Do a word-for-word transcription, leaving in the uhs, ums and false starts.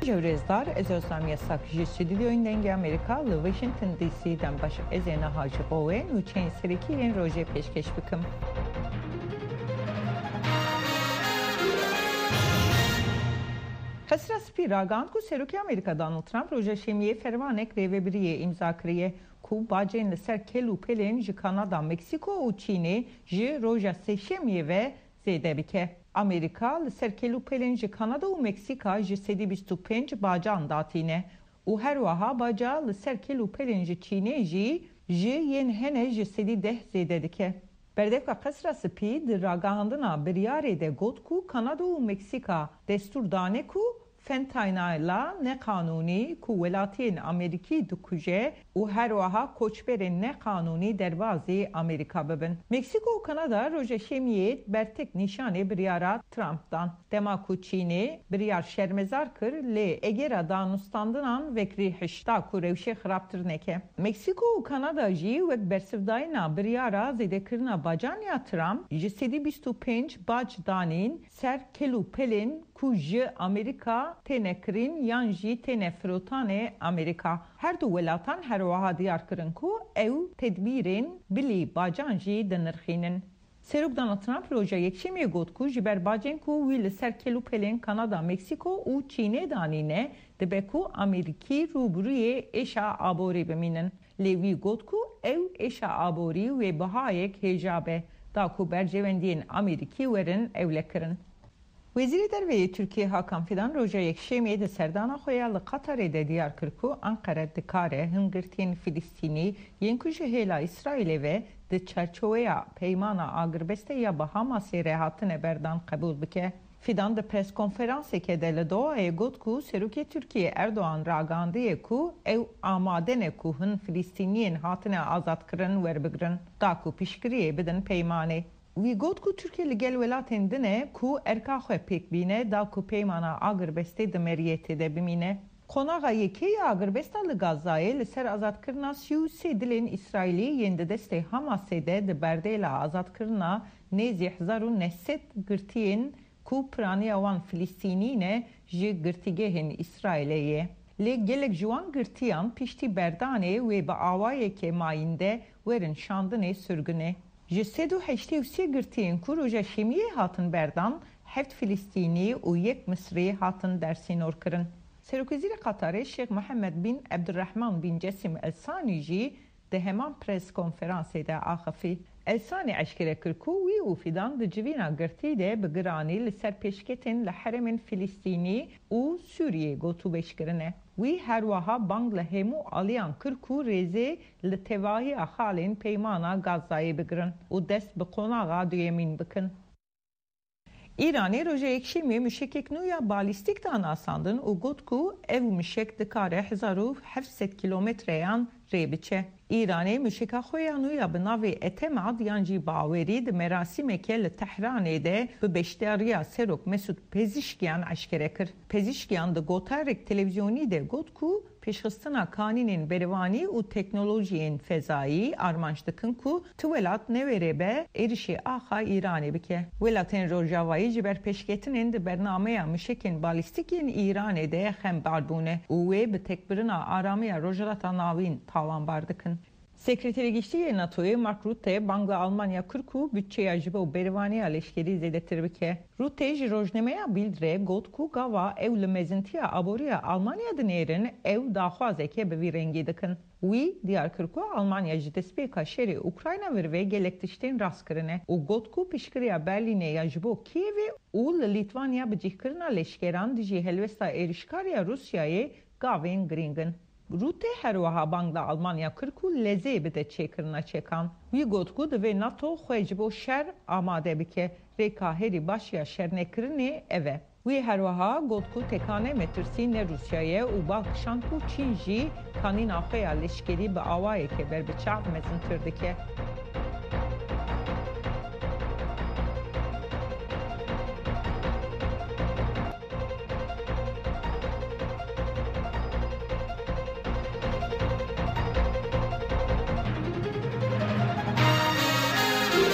Ji rêzdar, ez Özlem Yasak ji Stüdyoyên Dengê Amerîka li Washington D C dem baş. Ez ê niha ji bo we nûçeyên serokî yên rojê pêşkêş bikim. Qesra Spî ragihand ku Serokê Amerîka Donald Trump roja Şemiyê fermanek rêvebiriyê îmza kiriye ku bacên li ser kêl û pêlên ji Kanada, Meksîko û Çînê ji roja Sêşemiyê ve zêde bike. Amerîka li ser kêl û pêlên ji Kanada û Meksîka ji sedî bîst û pênc bacan datîne û her wiha baca li ser kêl û pêlên ji Çînê jî ji yên hene ji sedî deh zêde dike. Berdevka Qesra Spî di ragihandina biryarê de got ku Kanada û Meksîka destûr dane ku fentanyla neqanûnî ku welatiyên Amerîkî dikuje û her wiha koçberên neqanûnî derbazî Amerîka bibin. Meksîko û Kanada roja Şemiyê bertek nîşanê biryara Trump dan. Dema ku Çînê biryar şermezar kir, lê egera danûstandinan vekirî hişt da ku rewşê xirabtir neke. Meksîko û Kanada jî wek bersivdayîna biryara zêdekirina bacan ya Trump ji sedî bîst û pênc bac danîn ser kêl û pelên ku ji Amerîka têne kirîn yan jî têne firotanê Amerîka. Her du welatan her wiha diyar kirin ku ew tedbîrên bilî bacan jî dinirxînin. Serok Donald Trump roja Yekşemiyê got ku ji ber bacên ku wî li ser kêl û pelên Kanada, Meksîko û Çînê danîne, dibe ku Amerîkî rûbirûyê êşa aborî bimînin. Lê wî got ku ew êşa aborî wê bihayek hêja be, da ku berjewendiyên Amerîkî werin ewlekirin. Wezîrê Derve yê Tirkiyê Hakan Fidan roja Yekşemiyê di serdana xwe ya li Qatarê de diyar kir ku Anqere dikare hin girtiyên Filistînî yên ku ji hêla Îsraîlê ve di çarçoweya peymana agirbestê ya bi Hamasê re hatine berdan qebûl bike. Fidan di preskonferanseke de li Dohayê got ku Serokê Tirkiyê Erdogan ragihandiye ku ew amade ne ku hin Filistîniyên hatine azadkirin werbigrin, da ku piştgiriyê bidin peymanê. Wî got ku Tirkiye li gel welatên din e ku erka xwe pêk bîne da ku peymana agirbestê di meriyetê de bimîne. Qonaxa yekê ya agirbesta li Gazayê li ser azadkirina sî û sê dilên Îsraîlî yên di destê Hamasê de di berdêla azadkirina nêzî hezar û neh sed girtiyên ku piraniya wan Filistînî ne ji girtîgehên Îsraîlê ye. Lê gelek ji wan girtiyan piştî berdanê wê bi awayeke mayînde werin şandinê sirgûnê. Ji sed û heştê û sê girtiyên ku roja Şemiyê hatin berdan, heft Filistînî û yek Misrî hatin dersînorkirin. Serokwezîrê Qatarê Şêx Mihemed bin Ebdurrehman bin Cesim El Sanî jî di heman preskonferansê de axifî. El Sanî eşkere kir ku wî û Fidan di civîna girtî de bi giranî li ser pêşketên li herêmên Filistînî û Sûriyê gotûbêj kirine. Wî her wiha bang li hemû aliyan kir ku rêzê li tevahiya xalên peymana Gazayê bigirin û dest bi qonaxa duyemîn bikin. Îranê roja Yekşemiyê mişekek nû ya balîstîk da nasandin û got ku ev mişek dikare hezar û heft sed kîlometreyan rê biçe. Îranê mişeka xwe ya nû ya bi navê Etemad yan jî Bawerî di merasîmeke li Tehranê de bi beşdariya Serok Mesûd Pezişkiyan eşkere kir. Pezişkiyan di gotarek televîzyonî de got ku pêşxistina kanînên berevanî û teknolojiyên fezayî armanc dikin ku tu welat newêrê be êrişê axa Îranê bike. Welatên Rojavayî ji ber pêşketinên di bernameya mişekên balîstîk yên Îranê de xembar bûne û wê bi tekbirina aramiya Rojhilata Navîn tawanbar dikin. Sekreterê Giştî yê NATOyê Mark Rutte bang li Almanya kir ku budçeya ji bo berevaniya leşkerî zêdetir bike. Rutte ji rojnameya Bild re got ku gava ew li mezintiya aboriya Almanya dinêrin, ew daxwazeke bi vî rengî dikin. Wî diyar kir ku Almanya ji destpêka şerê Ukrayna vir ve gelek tiştên rast kirine û got ku piştgiriya Berlînê ya ji bo Kîevê û li Lîtwanya bicihkirina leşkeran dijî helwesta êrişkar ya Rûsyayê gavên girîng in. Rutte her wiha bang li Almanya kir ku lezê bide çêkirina çekan. Wî got ku divê NATO xwe ji bo şer amade bike. Rêka herî baş ya şernekirinê ev e. Wî her wiha got ku tekane metirsî ne Rûsya ye û bal kişand ku Çîn jî kanîna xwe ya leşkerî bi awayeke berbiçav mezintir dike.